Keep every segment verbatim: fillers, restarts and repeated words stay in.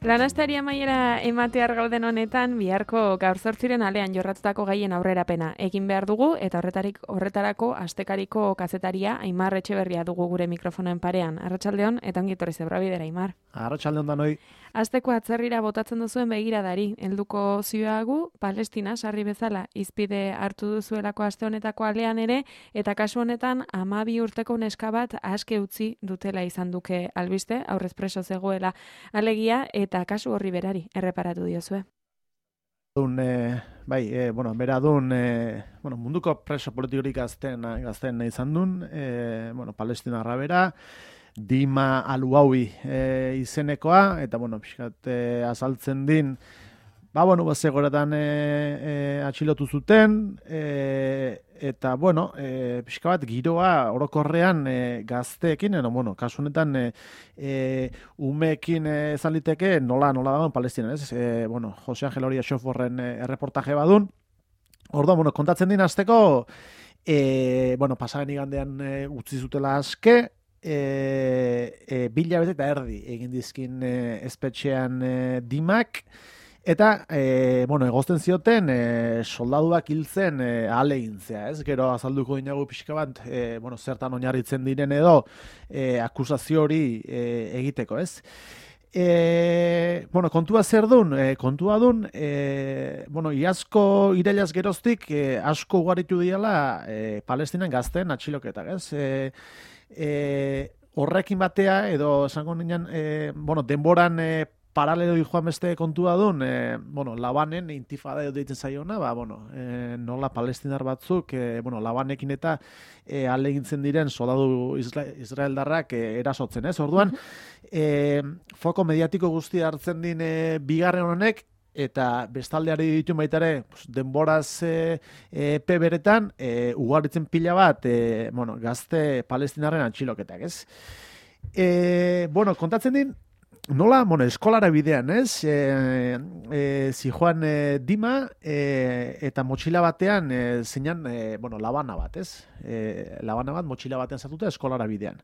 Lanastari amaiera ematear gauden honetan, biharko gaur zortziren alean jorratutako gaien aurrerapena egin behar dugu, eta horretarik horretarako astekariko kazetaria Aimar Etxeberria dugu gure mikrofonoen parean. Arratsaldeon eta ongi etorri zebra bidera, Aimar. Arratsaldeon danoi. Asteko atzerrira botatzen duzuen begiradari, helduko zioagu, Palestina sarri bezala izpide hartu duzuelako aste honetako alean ere, eta kasu honetan hamabi urteko neska bat aske utzi dutela izan duke albiste, aurrez preso zegoela alegia, eta kasu horri berari erreparatu diozue. Dun, eh, bai, eh, bueno, bera dun, eh, bueno, munduko preso politikorik gazten, gazten izan dun, eh, bueno, Palestinarra bera, Dima Aluawi e, izenekoa, eta, bueno, pixkat e, azaltzen din, ba, bueno, bazegoretan e, e, atxilotu zuten, e, eta, bueno, e, pixka bat giroa orokorrean e, gazteekin, eno, bueno, kasu honetan e, e, umeekin ezan liteke nola, nola dagoen Palestina, ez? E, bueno, Jose Angel Oria Xoforren e, erreportaje badun, orduan, bueno, kontatzen din azteko, e, bueno, pasaren igandean e, utzi zutela aske, E, e, bila bete eta erdi egin dizkin e, espetxean e, Dimak, eta e, bueno, egozten zioten e, soldaduak hiltzen e, ahalegintzea, ez? Gero azalduko dinagu pixka bat, e, bueno, zertan oinarritzen diren edo e, akusazio hori e, egiteko, ez? E, bueno, kontua zer dun? E, kontua dun, e, bueno, iazko irailaz geroztik e, asko ugaritu diala e, Palestinan gazten atxiloketak, ez? E, E, horrekin batea edo esango nian e, bueno, denboran e, paralelo joan beste kontua duen, e, bueno, Labanen intifada edo deitzen zaiona, ba, bueno, e, nola palestinar batzuk, e, bueno, Labanekin eta e, alegintzen diren soldadu Isra Israeldarrak e, erasotzen, ez? Orduan, e, foko mediatiko guztia hartzen din e, bigarren honek, eta bestaldeari ditu baitare denboraz e, e, pe beretan e, ugaritzen pila bat e, bueno, gazte palestinarren atxiloketak, ez? E, bueno, kontatzen din, nola, bueno, eskolara bidean, ez? E, e, zijoan e, Dima e, eta motxila batean e, zeinan, e, bueno, labana bat, ez? E, labana bat motxila batean sartuta eskolara bidean.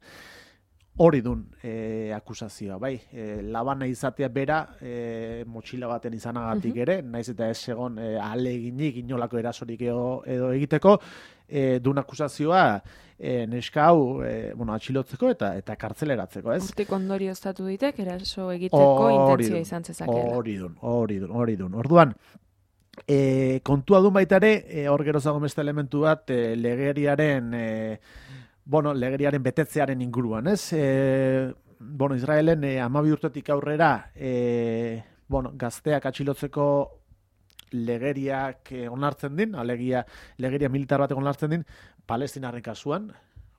Hori dun e, akusazioa, bai. E, labana izatea bera e, motxila baten izanagatik ere, naiz eta ez egon e, ahaleginik inolako erasorik edo, edo egiteko, e, dun akusazioa e, neska hau e, bueno, atxilotzeko eta eta kartzeleratzeko, ez? Urtik ondorio estatu ditek, eraso egiteko intentzioa izan zezakela. Hori dun, hori dun, hori dun. Orduan, e, kontua dun baitare, e, hor gero zago beste elementu bat, e, legeriaren... E, bueno, legeriaren betetzearen inguruan, ez? E, bueno, Israelen e, hamabi urtetik aurrera e, bueno, gazteak atxilotzeko legeriak e, onartzen din, alegia legeria militar batek onartzen din, Palestinarren kasuan,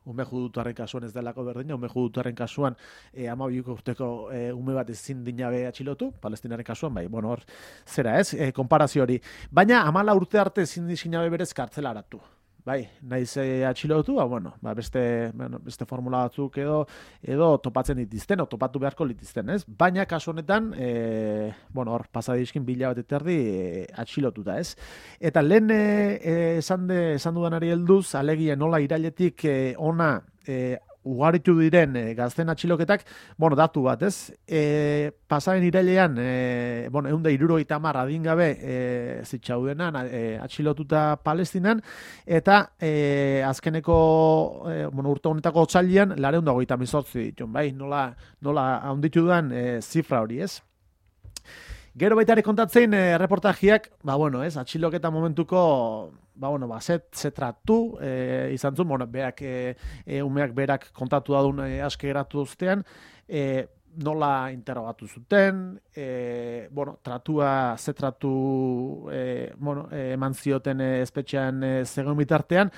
ume judutuaren kasuan ez delako berdina, ume judutuaren kasuan e, hamabi urteko e, ume bat ezin dinabe atxilotu, Palestinarren kasuan, bai, bueno, hor, zera, ez? E, konparazio hori. Baina, hamala urte arte ezin dinabe berez kartzelaratu. Bai, naiz e, atxilotu, ba, bueno, ba, beste, bueno, beste formula batzuk edo edo topatzen ditizten, o topatu beharko litizten, ez? Baina, kasu honetan, e, bueno, hor, pasadizkin bila bat eterdi e, atxilotuta, ez? Eta lehen e, e, esan, de, esan dudanari helduz, alegia nola irailetik e, ona e, ugaritu diren e, gazten atxiloketak, bueno, datu bat, ez? E, pasaren irailean, e, bueno, egun da hirurogeita hamar adingabe e, zitxaudenan e, atxilotuta Palestinan, eta e, azkeneko e, bueno, urte honetako otsailean laurehun eta hogeita hemezortzi ditun, bai? Nola, nola handitu dudan e, zifra hori, ez? Gero baita ere kontatzen e, reportajiak, ba, bueno, ez, atxiloketa momentuko, ba, bueno, ba, zet, zetratu, e, izan zuen, bueno, beak, e, e, umeak berak kontatu dadun e, aske geratu duztean, e, nola interrogatu zuten, e, bueno, tratua, zetratu, e, bueno, e, eman zioten e, espetxean e, zegoen bitartean,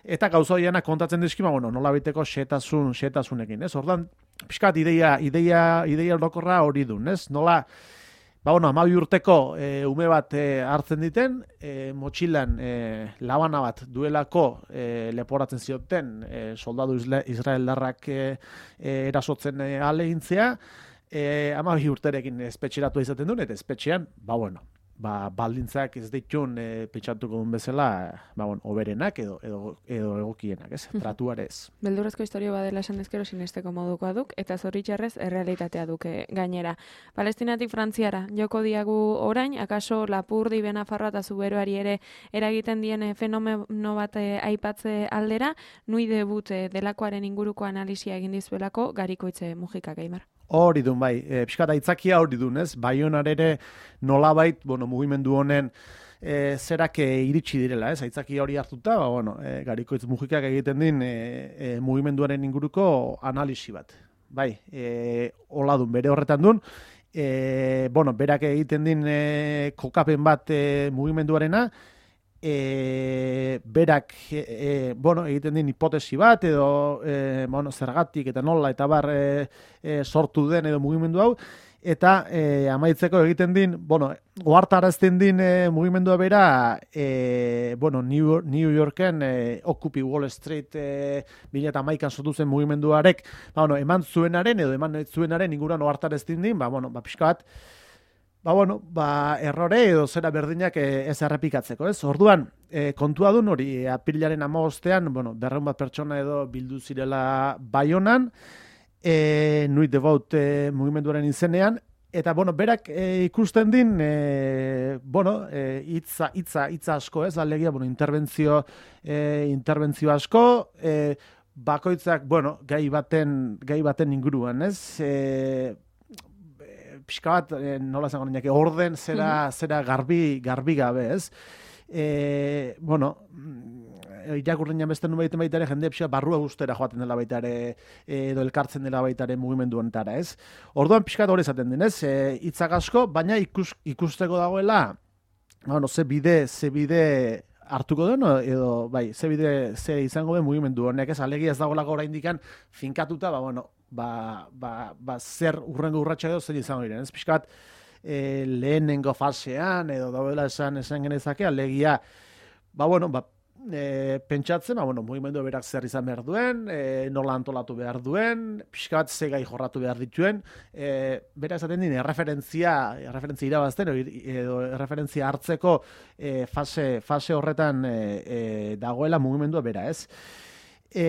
eta gauza horiena kontatzen dizkima, bueno, nola biteko xetasun, xetasunekin, ez? Ordan, pixkat, ideia, ideia, ideia orokorra hori dun, ez? Nola, ba, bueno, hamabi urteko e, ume bat e, hartzen diten, e, motxilan e, labana bat duelako e, leporatzen zioten e, soldadu Israeldarrak e, e, erasotzen e, ahalegintzea, e, hamabi urterekin espetxeratu izaten duen, eta espetxean, ba, bueno, ba, baldintzak ez ditun e, pentsatuko duen bezala, ba, bueno, oberenak edo, edo, edo egokienak, ez? Tratuarez. Beldurrezko historio badela esan ezkero sinesteko modukoa duk, eta zoritxarrez errealitatea duke gainera. Palestinatik Frantziara, joko diagu orain, akaso Lapurdi, Benafarroa eta Zuberoari ere eragiten dien fenomeno bat aipatze aldera, nui debut delakoaren inguruko analisia egin dizuelako Garikoitze Mujika Gaimar. Hori dun, bai, e, pixkat aitzakia hori dun, ez? Baionan ere nolabait, bueno, mugimendu honen e, zerak e, iritsi direla, ez? Aitzaki hori hartuta, ba, bueno, e, Garikoitz Mujikak egiten din e, e, mugimenduaren inguruko analisi bat. Bai, e, hola dun, bere horretan dun, e, bueno, berak egiten din e, kokapen bat e, mugimenduarena, E, berak e, e, bueno, egiten din hipotesi bat edo e, bueno, zergatik eta nola eta bar e, e, sortu den edo mugimendu hau eta e, amaitzeko egiten din bueno, ohartarazten din e, mugimendua bera e, bueno, New, New Yorken e, Occupy Wall Street e, bi mila hamaikan sortu zen mugimenduarek ba, bueno, eman zuenaren edo eman zuenaren inguruan ohartarazten din ba, bueno, ba, pixka bat Ba, bueno, ba, errore edo zera berdinak ez errepikatzeko, ez? Orduan, e, kontua dun hori, apirilaren hamabostean, bueno, berrehun bat pertsona edo bildu zirela Baionan, e, Nuit Devout e, mugimenduaren izenean, eta, bueno, berak e, ikusten din, e, bueno, e, itza, itza, itza asko, ez? Alegia, bueno, interbentzio, e, interbentzio asko, e, bakoitzak, bueno, gai baten, gai baten inguruan, ez? E, pixka bat, eh, nola zango ninak, orden zera, mm-hmm. zera garbi, garbi gabe, ez? E, bueno, irakurriñan beste nuen baita ere, jende pixka barrua guztera joaten dela baita ere, edo elkartzen dela baita ere mugimendu honetara, ez? Orduan pixka hori esaten den, ez? E, itzak asko, baina ikus, ikusteko dagoela, bueno, ze bide, ze bide hartuko den, edo, bai, ze bide, ze izango den mugimendu honek, ez? Alegia ez dagoelako oraindikan finkatuta, ba, bueno, Ba, ba, ba, zer urrengo urratxa edo zer izango diren. Ez pixkat e, lehenengo fasean edo daudela esan esan genezake, alegia, ba, bueno, ba, e, pentsatzen, ba, bueno, mugimendu berak zer izan behar duen, e, nola antolatu behar duen, pixkat ze gai jorratu behar dituen, e, bera esaten din, erreferentzia, erreferentzia irabazten, edo erreferentzia hartzeko e, fase, fase horretan e, e, dagoela mugimendua bera, ez? E,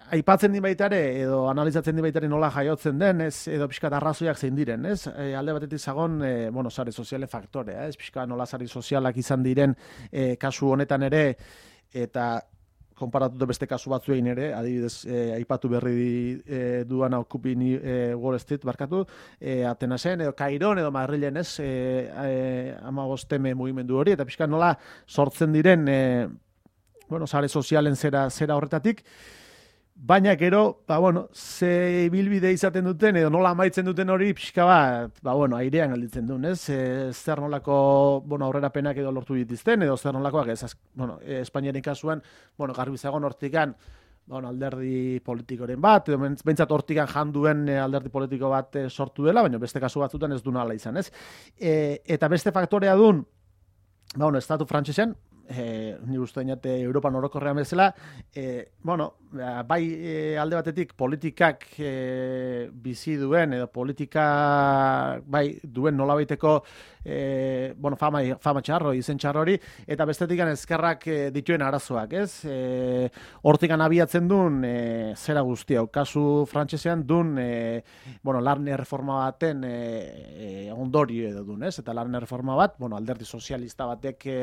Aipatzen di baitare, edo analizatzen di baitare nola jaiotzen den, ez, edo pixkat arrazoiak zein diren, ez? E, alde batetik zagon, e, bueno, sare soziale faktorea, ez? Pixkat nola sare sozialak izan diren e, kasu honetan ere, eta konparatuta beste kasu batzuein ere, adibidez, e, aipatu berri e, duan Occupy e, Wall Street, barkatu, e, Atenasen, edo Kairon, edo Madrilen, ez? E, e, amagosteme mugimendu hori, eta pixkat nola sortzen diren, e, bueno, sare sozialen zera, zera horretatik, baina gero, ba, bueno, ze bilbide izaten duten, edo nola amaitzen duten hori, pixka bat, ba, bueno, airean galditzen duen, ez? E, zer nolako, bueno, aurrerapenak edo lortu dituzten, edo zer nolakoak, ez, bueno, e, Espainiaren kasuan, bueno, garbizagon hortikan, bueno, alderdi politikoren bat, edo behintzat hortikan janduen alderdi politiko bat sortu dela, baina beste kasu batzutan ez du nala izan, ez? E, eta beste faktorea dun, ba, bueno, estatu frantsesean, E, ni uste dinate Europan orokorrean bezala, e, bueno, bai e, alde batetik politikak e, bizi duen, edo politika bai duen nolabaiteko e, bueno, fama, fama txarro, izen txarro hori, eta bestetik ezkerrak e, dituen arazoak, ez? E, hortikan abiatzen duen e, zera guztia, kasu frantsesean duen e, bueno, lan erreforma baten e, e, ondorio edo duen, ez? Eta lan erreforma bat, bueno, alderdi sozialista batek e,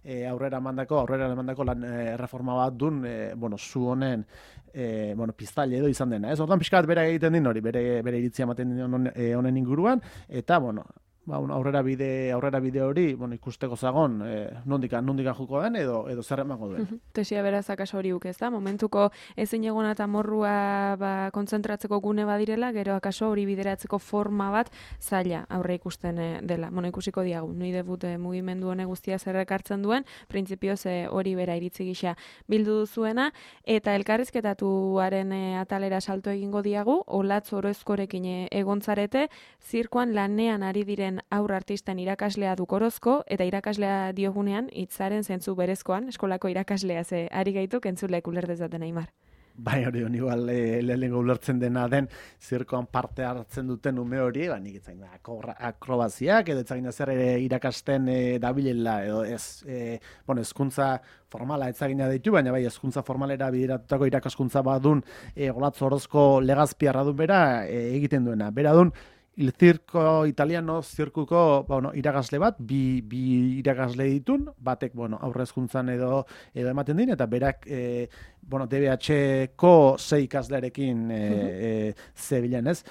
e, aurrera emandako, aurrera emandako lan e, erreforma bat dun, e, bueno, zu honen, e, bueno, piztaile edo izan dena, ez? Orduan pixkat bere egiten din hori, bere, bere iritzia ematen din honen, e, honen inguruan, eta, bueno, ba, aurrera bide, aurrera bide hori, bueno, ikusteko zagon, e, nondika, nondika juko den, edo, edo zer emango duen. Tesia beraz akaso hori uk ez da, momentuko ezin egona eta morrua ba, kontzentratzeko gune badirela, gero akaso hori bideratzeko forma bat zaila aurre ikusten dela. Bueno, ikusiko diagu, nui debut mugimendu hone guztia zerrek hartzen duen, printzipioz hori bera iritzi gisa bildu duzuena, eta elkarrizketatuaren e, atalera salto egingo diagu, Olatz Orozkorekin egontzarete, zirkoan lanean ari diren aur artisten irakaslea dukorozko, eta irakaslea diogunean hitzaren zentzu berezkoan, eskolako irakaslea ze ari gaituk entzulek uler dezaten Aimar. Bai, hori hon igual e, lehenengo ulertzen dena den zirkoan parte hartzen duten ume hori, ba, nik etzain akrobaziak, edo etzain zer ere irakasten e, dabilela, edo ez, e, bueno, ezkuntza formala etzagina ditu, baina bai, ezkuntza formalera bideratutako irakaskuntza badun e, Olatz Orozko legazpiarra dun bera e, egiten duena. Bera dun, Il Circo Italiano zirkuko bueno, irakasle bat, bi, bi irakasle ditun, batek bueno, aurrezkuntzan edo edo ematen din, eta berak e, bueno, D B H-ko sei ikaslearekin e, e, Zebilen, ez?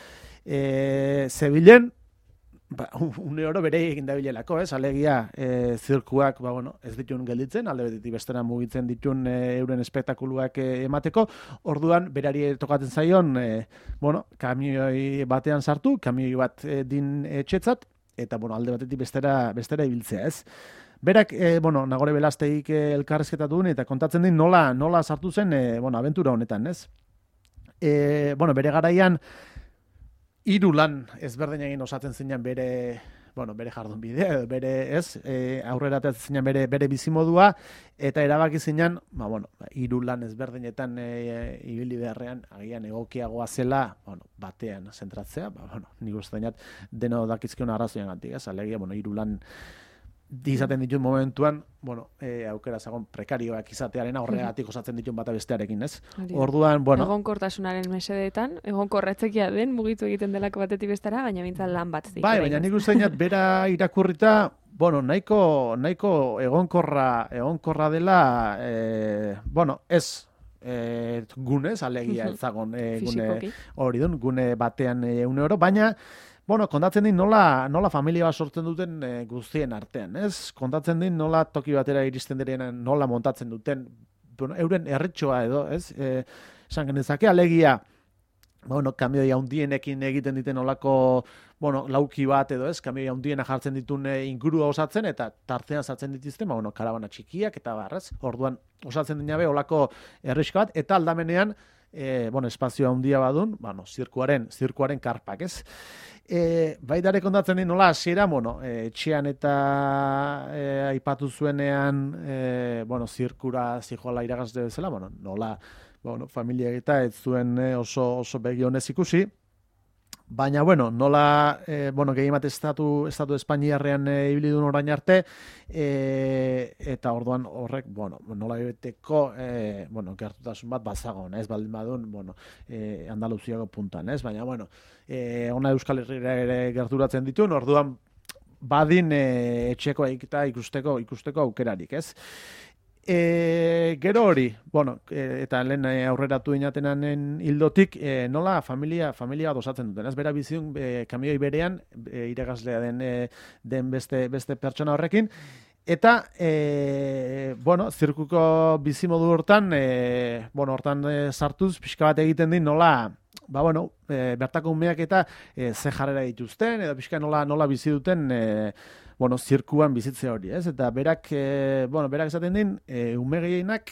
E, Zebilen, ba, une oro bere egin dabilelako, ez? Alegia, e, zirkuak, ba, bueno, ez ditun gelditzen, alde betetik bestera mugitzen ditun e, euren espektakuluak e, emateko, orduan, berari tokatzen zaion, e, bueno, kamioi batean sartu, kamioi bat e, din etxetzat, eta, bueno, alde batetik bestera, bestera ibiltzea, ez? Berak, e, bueno, Nagore Belasteik e, elkarrezketatu duen, eta kontatzen din nola, nola sartu zen, e, bueno, abentura honetan, ez? E, bueno, bere garaian, hiru lan ezberdin egin osatzen zinan bere, bueno, bere jardun bidea, bere, ez, e, aurrera atatzen zinan bere, bere bizimodua, eta erabaki zinan, ba, bueno, hiru lan ezberdinetan e, ibili beharrean, agian egokiagoa zela, bueno, batean zentratzea, ba, bueno, nik uste dinat, deno dakizkion arrazoian gantik, ez, alegia, bueno, hiru lan izaten ditun momentuan, bueno, e, aukera zagon prekarioak izatearen horregatik osatzen ditun bata bestearekin, ez? Orduan, bueno... Egonkortasunaren mesedeetan, egonkorratzekia den, mugitu egiten delako batetik bestara, baina mintzat lan bat zik. Bai, baina nik uste dinat, bera irakurrita, bueno, nahiko, nahiko egonkorra, egonkorra dela, e, bueno, ez, e, gunez, alegia ez zagon, e, gune hori dun, gune batean e, une oro, baina, bueno, kontatzen din nola, nola familia bat sortzen duten e, guztien artean, ez? Kontatzen din nola toki batera iristen direnean nola montatzen duten, bueno, euren erretxoa edo, ez? E, esan genezake, alegia, bueno, kamioi handienekin egiten diten olako, bueno, lauki bat edo, ez? Kamioi handiena jartzen ditun e, ingurua osatzen, eta tartean sartzen dituzten, ba, bueno, karabana txikiak, eta barrez, orduan osatzen dinabe olako erreska bat, eta aldamenean, e, bueno, espazio handia badun, bueno, zirkuaren, zirkuaren karpak, ez? E, baidare kontatzen din nola, hasiera, bueno, e, etxean eta e, aipatu zuenean, e, bueno, zirkura zijoala irakasle bezala, bueno, nola, bueno, familia eta ez zuen e, oso, oso begionez ikusi, baina, bueno, nola, e, bueno, gehiemat estatu, estatu Espainiarrean e, ibili duen orain arte, e, eta orduan horrek, bueno, nola beteko, e, bueno, gertutasun bat bazagon, ez baldin badun, bueno, e, Andaluziago puntan, ez, baina, bueno, e, ona Euskal Herriera ere gerturatzen dituen, orduan badin e, etxeko eta ikusteko, ikusteko aukerarik, ez? E, gero hori, bueno, e, eta lehen aurreratu inatenanen hildotik, e, nola familia familia bat osatzen duten, ez bera bizitun e, kamioi berean, e, iragaslea den, e, den beste, beste pertsona horrekin, eta, e, bueno, zirkuko bizimodu hortan, e, bueno, hortan e, sartuz, pixka bat egiten din nola, ba, bueno, e, bertako umeak eta e, ze jarrera dituzten, edo pixka nola, nola bizi duten, e, bueno, zirkuan bizitze hori, ez? Eta berak, e, bueno, berak esaten din, e, ume gehienak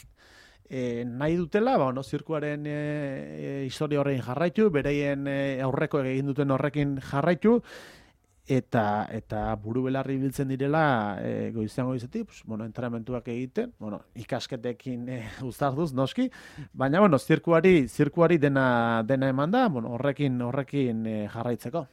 e, nahi dutela, ba, bueno, zirkuaren e, e, historia horrein jarraitu, bereien e, aurreko egin duten horrekin jarraitu, eta eta buru belarri biltzen direla e, goizean goizetik, pues, bueno, entrenamentuak egiten, bueno, ikasketekin e, uzarduz, noski, baina, bueno, zirkuari, zirkuari dena, dena eman da, bueno, horrekin, horrekin e, jarraitzeko.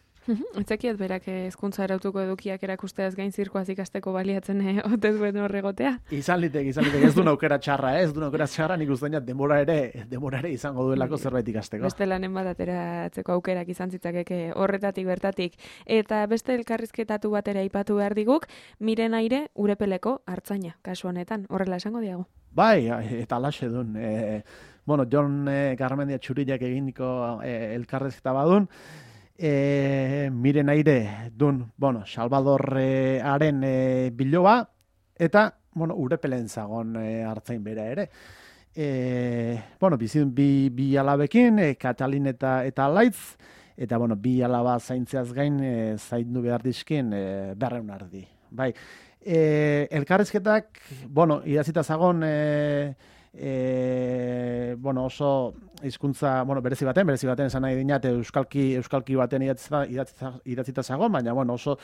Etzekiet berak hezkuntza erautuko edukiak erakusteaz gain zirkoaz ikasteko baliatzen eh, ote duen horregotea. Izan litek, izan litek, ez du aukera txarra, ez du aukera txarra, nik uste dut denbora ere, denbora ere izango duelako zerbait ikasteko. Beste lanen bat ateratzeko aukerak izan zitzakeke horretatik bertatik. Eta beste elkarrizketatu batera aipatu behar diguk, Miren Aire Urepeleko hartzaina, kasu honetan, horrela esango diago. Bai, eta alaxe dun, e, bueno, Jon e, Garmendia Txuriak eginiko e, elkarrizketa badun, E, Miren Aire dun, bueno, Salvadorren e, biloba, eta, bueno, Urepelen zagon e, hartzain bera ere. E, bueno, bizin bi, bi alabekin, e, Katalin eta, eta Laitz, eta, bueno, bi alaba zaintzeaz gain, e, zaindu behar dizkin, e, berreun ardi. Bai, e, elkarrizketak, bueno, idazita zagon, e, E, bueno, oso hizkuntza, bueno, berezi baten, berezi baten esan nahi dinat euskalki, euskalki baten idatzita, idatzita, idatzita zagon, baina, bueno, oso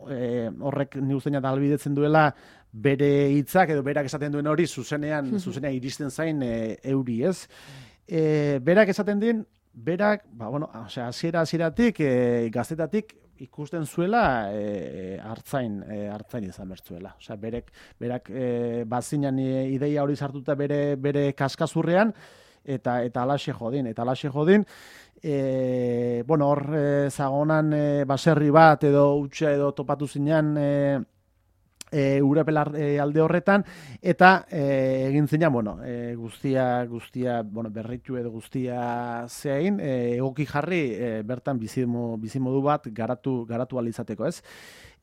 e, horrek ni uste dut ahalbidetzen duela bere hitzak edo berak esaten duen hori zuzenean, zuzenean iristen zain e, euri, ez? e, berak esaten din, berak, ba, bueno, osea, hasiera hasieratik e, gaztetatik ikusten zuela e, hartzain, e, hartzain izan bertzuela. Osea, berek, berak e, bazinan e, ideia hori sartuta bere, bere kaskazurrean, eta eta alaxe jodin, eta alaxe jodin, e, bueno, hor e, zagonan e, baserri bat edo utxa edo topatu zinean e, E, Urepelar e, alde horretan, eta e, egin zinean, bueno, e, guztia, guztia, bueno, berritu edo guztia zein, e, egoki jarri e, bertan bizimo, bizimodu bat garatu, garatu alizateko, ez?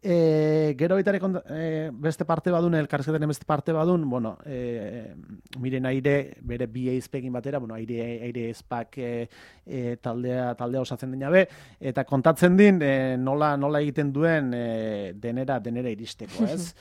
E, gero baita e, beste parte badun, elkarrizketaren beste parte badun, bueno, e, miren aire, bere bi eizpegin batera, bueno, aire, aire ezpak e, e, taldea, taldea osatzen dena be, eta kontatzen din e, nola, nola egiten duen e, denera, denera iristeko, ez?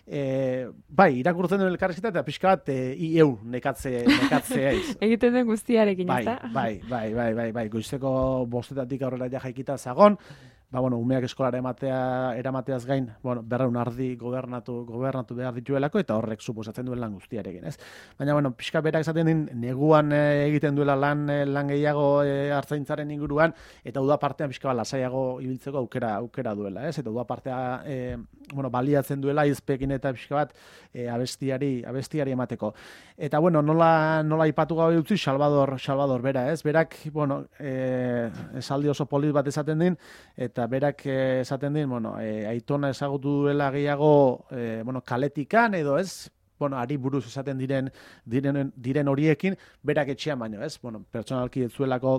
E, bai, irakurtzen duen elkarrizketa eta pixka bat e, i eu nekatze, nekatze eiz. Egiten den guztiarekin, bai, ez da? Bai, bai, bai, bai, bai, goizeko bostetatik aurrera ja jaikita zagon, ba, bueno, umeak eskolara ematea, eramateaz gain, bueno, berreun ardi gobernatu, gobernatu behar dituelako, eta horrek suposatzen duen lan guztiarekin, ez? Baina, bueno, pixka berak esaten din, neguan e, egiten duela lan, e, lan gehiago e, hartzaintzaren inguruan, eta uda partean pixka bat lasaiago ibiltzeko aukera, aukera duela, ez? Eta uda partea, e, bueno, baliatzen duela izpekin eta pixka bat e, abestiari, abestiari emateko. Eta, bueno, nola, nola ipatu gabe utzi, Salvador, Salvador bera, ez? Berak, bueno, e, esaldi oso polit bat esaten din, eta berak eh, esaten din, bueno, eh, aitona ezagutu duela gehiago eh, bueno, kaletikan edo ez, bueno, ari buruz esaten diren diren, diren horiekin, berak etxean baino, ez? Bueno, pertsonalki ez zuelako,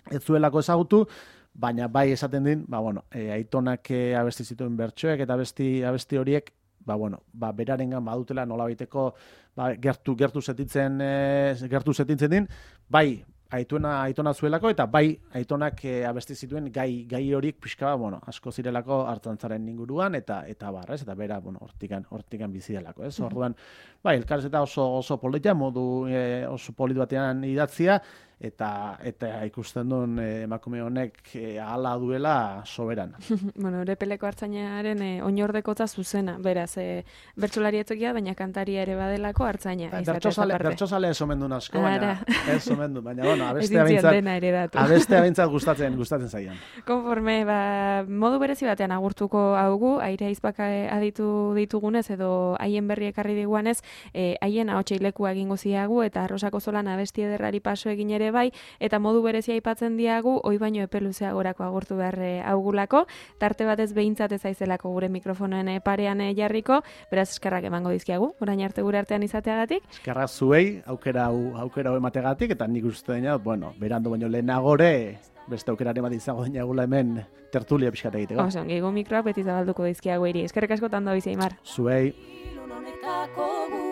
ez zuelako ezagutu, baina bai esaten din, ba, bueno, eh, aitonak eh, abesti zituen bertsoek eta abesti, abesti horiek, ba, bueno, ba, berarengan badutela nolabaiteko ba, gertu, gertu setitzen, eh, gertu setitzen din, bai, Aitona, aitona zuelako, eta bai aitonak e, abesti zituen gai, gai horiek pixka, bueno, asko zirelako hartzantzaren inguruan, eta eta bar, ez? Eta bera, bueno, hortikan, hortikan bizi delako, ez? Orduan, bai, elkarrizketa oso, oso polita, modu e, oso polit batean idatzia, eta eta ikusten duen e, emakume honek e, ahala duela soberan. Bueno, Urepeleko hartzainaren e, oinordekotza zuzena, beraz, e, bertsolari etzokia, baina kantaria ere badelako hartzaina. Bertsozale, bertsozale ez omen duen asko, baina ez omen duen, baina, bueno, abestea behintzat, abestea behintzat gustatzen, gustatzen zaian. Konforme, ba, modu berezi batean agurtuko haugu, aire aizpak aditu ditugunez, edo haien berri ekarri diguanez, e, haien ahotseilekua egingo ziagu, eta Arrosako Zolan abesti ederrari paso egin ere bai, eta modu berezia aipatzen diagu, oi baino epe luzeagorako agurtu behar augulako, tarte batez behintzat ez aizelako gure mikrofonoen parean jarriko, beraz eskerrak emango dizkiagu, orain arte gure artean izateagatik. Eskerrak zuei, aukera hau aukera hau emategatik, eta nik uste dena, bueno, berando baino lehenagore, beste aukeraren bat izango dinagula hemen tertulia pixkat egiteko. Oso, gehiago mikroak beti zabalduko dizkiagu eri. Eskerrik asko tando bizi, Aimar. Zuei.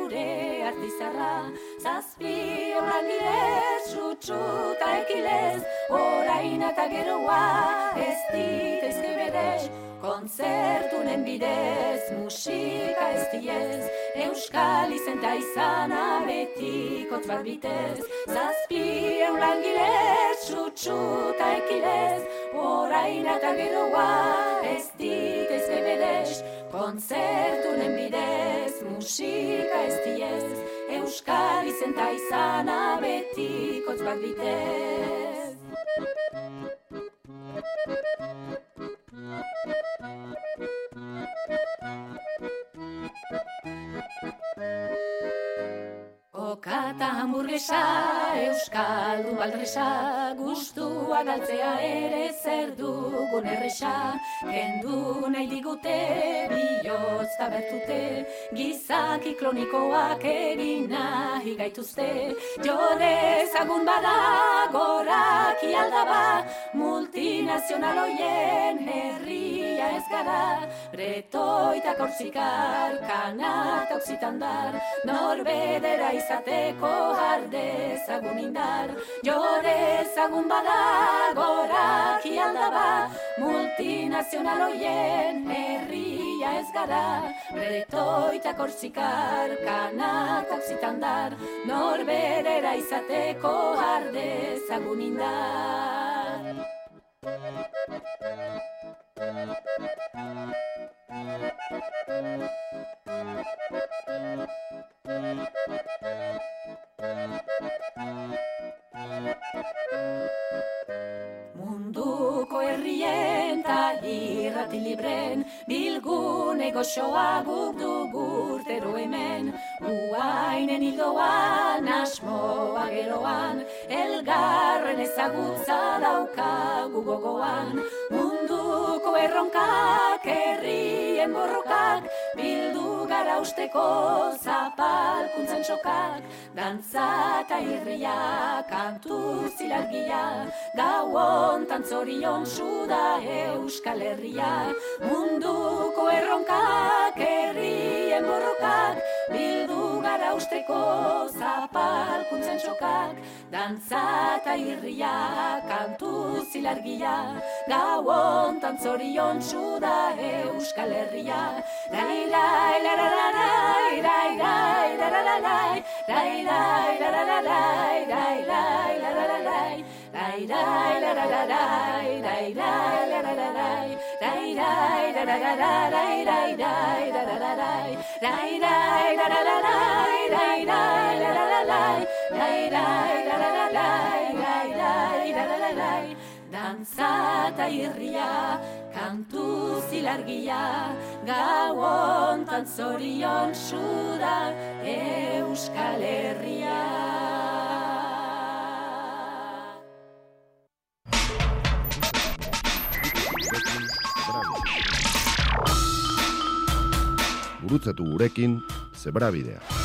Gure artizarra, zazpi horan direz, sutsuta ekilez, orain eta geroa, ez ditezke berez, kontzertunen bidez, musika ez diez, euskal izenta izana betikotz bat bitez, zazpi horan girez, sutsuta ekilez, orain eta geroa, ez ditezke berez, kontzertunen bidez, musika ez diez, euskal izenta izana betikotz bat bitez. Okata hamburguesa, euskaldun baldresa, gustua galtzea ere zer dugun erresa, kendu nahi digute, bihotz tabertute, gizaki klonikoak egin nahi gaituzte, jode ezagun bada, goraki aldaba, multinazional hoien herria ez gara, breto eta korsikar, kanat oksitandar, norbedera izateko ardezagun indar, jode ezagun bada, goraki aldaba, multinazional hoien herria ez gara, breto eta korsikar, kanat oksitandar, norbedera izateko ardezagun indar. herrien ta irrati libren, bilgune goxoa guk dugu urtero hemen, uainen hildoan, asmoa geroan, elgarren ezagutza daukagu gogoan, munduko erronkak, herrien borrokak, bildu gara usteko zapalkuntzen sokak, dantza eta irria, kantu zilargia, gau hontan zorion da Euskal Herria, munduko erronkak, herrien borrokak, bildu gara usteko zapalkuntzen sokak, dantza eta irria, kantu zilargia, gau hontan zorion da Euskal Herria, rai rai la la la rai rai rai la la la rai rai rai la la la rai rai rai la la la rai rai rai la la la rai rai rai la la la rai rai rai la la la rai rai rai la la la rai rai rai la la la rai rai rai la la la rai rai rai la la la rai rai rai la la la rai dantza eta irria, kantu zilargia, gau hontan zorion da Euskal Herria. Gurutzatu gurekin Zebrabidea.